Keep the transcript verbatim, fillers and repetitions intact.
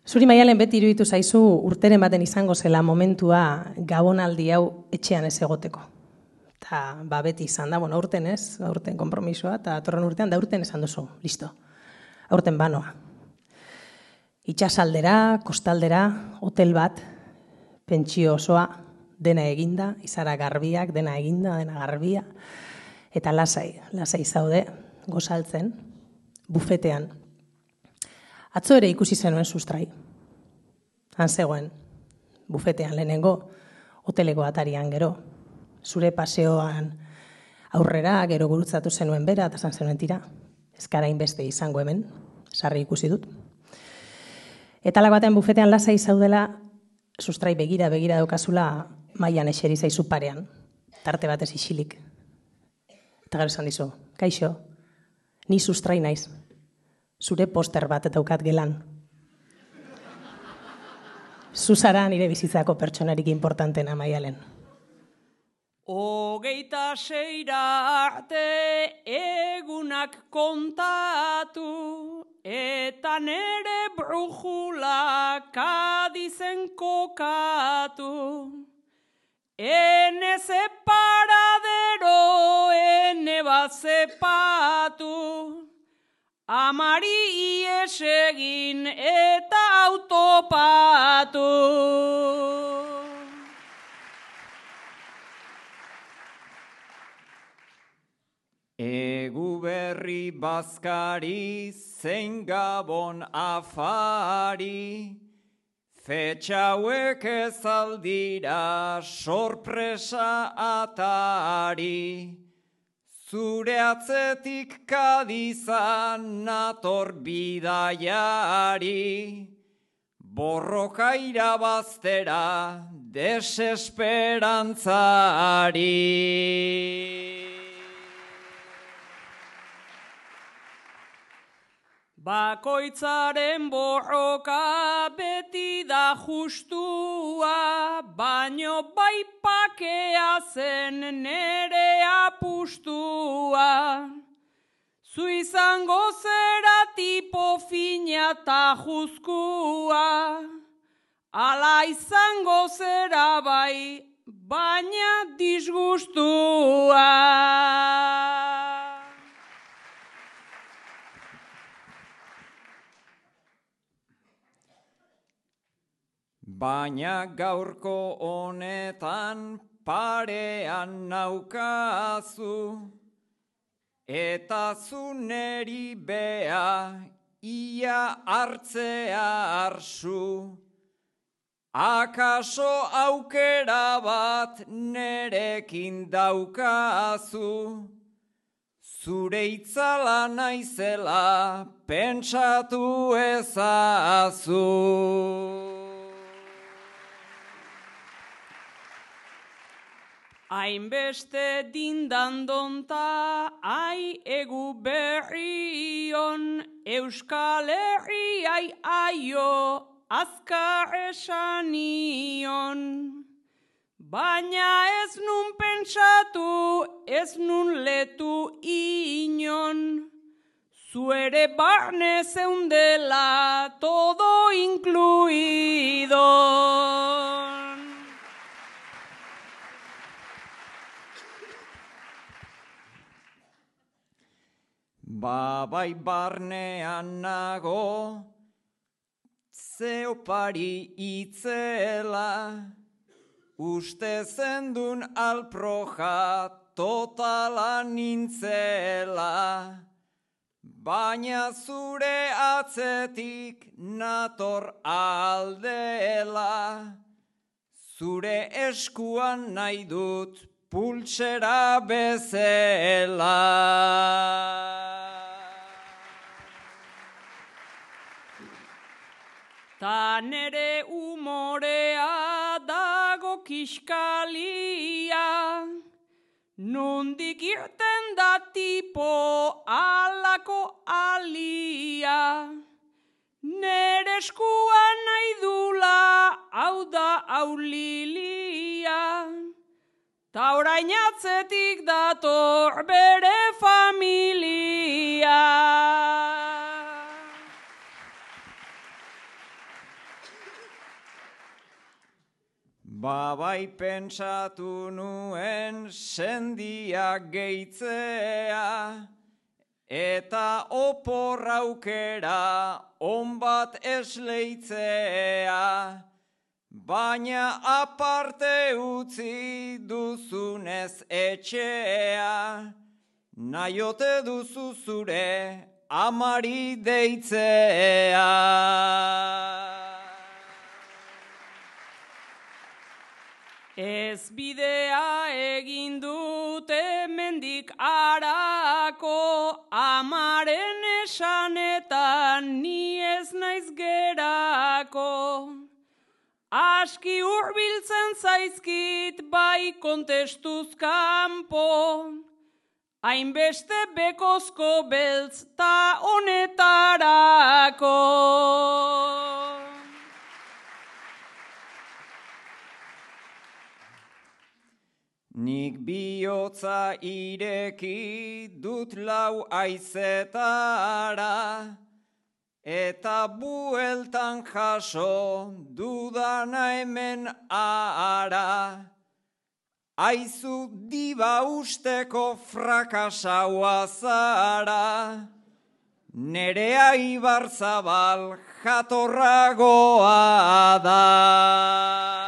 Zuri Maialen beti iruditu zaizu urteren baten izango zela momentua gabonaldi hau etxean ez egoteko. Eta ba, beti izan da, bueno, aurten ez, aurten konpromisoa, eta atorren urtean da urten esan duzu, listo. Aurten banoa. Itxasaldera, kostaldera, hotel bat, pentsio osoa, dena eginda, izara garbiak, dena eginda, dena garbia, eta lasai, lasai zaude, gozaltzen, bufetean. Atzo ere ikusi zenuen sustrai. Han zegoen, bufetean lehenengo, hoteleko atarian gero, zure paseoan aurrera, gero gurutzatu zenuen bera, eta zan zenuen tira, ez gara inbeste izango hemen, sarri ikusi dut. Eta lako batean bufetean lasai zaudela, sustrai begira, begira daukazula, mailan eseri zaizu parean, tarte batez isilik. Eta gero esan dizu, kaixo, ni sustrai naiz, zure poster bat daukat gelan. Zuzara nire bizitzako pertsonarik importantena Maialen. Hogeita seira arte egunak kontatu, eta nere brujula Kadizen kokatu. Ene separadero, ene bat zepatu, amari ies egin eta autopatu. Egu berri bazkari, zein gabon afari, fetxa hauek ez aldira sorpresa atari. Zure atzetik Kadizan nator bidaiari, borroka irabaztera desesperantzari. Bakoitzaren borroka beti da justua, baino bai pakea zen nere apustua. Zu izango zera tipo fina ta juzkua, ala izango zera bai, baina disgustua. Baina gaurko honetan parean naukazu, eta zu neri bea ia hartzea arsu. Akaso aukera bat nerekin daukazu, zure itzala naizela pentsatu ezazu. Hainbeste dindandonta, ai egu berrion, Euskal Herriai aio, azkar esanion. Baina ez nun pentsatu, ez nun letu inon, zuere barne zeundela todo incluido. Babai barnean nago, zeopari itzela, uste zendun alproja totala nintzela, baina zure atzetik nator aldela, zure eskuan nahi dut pultsera bezela. Ta nere umorea dago kiskalia, nondik irten da tipo alako alia. Nere eskuan nahi dula, hau da aulilia, ta orain atzetik dator bere familia. Babai pentsatu nuen sendia gehitzea, eta oporraukera on bat esleitzea, baina aparte utzi duzunez etxea, nahiote duzu zure amari deitzea. Ez bidea egin dute mendik arako, amaren esanetan ni ez naiz gerako. Aski hurbiltzen zaizkit bai kontestuz kanpo, hainbeste bekozko beltz ta honetarako. Nik bihotza ireki dut lau aizetara, eta bueltan jaso dudana hemen ara. Aizu diba usteko frakasaua zara, nerea Ibarzabal jatorragoa da.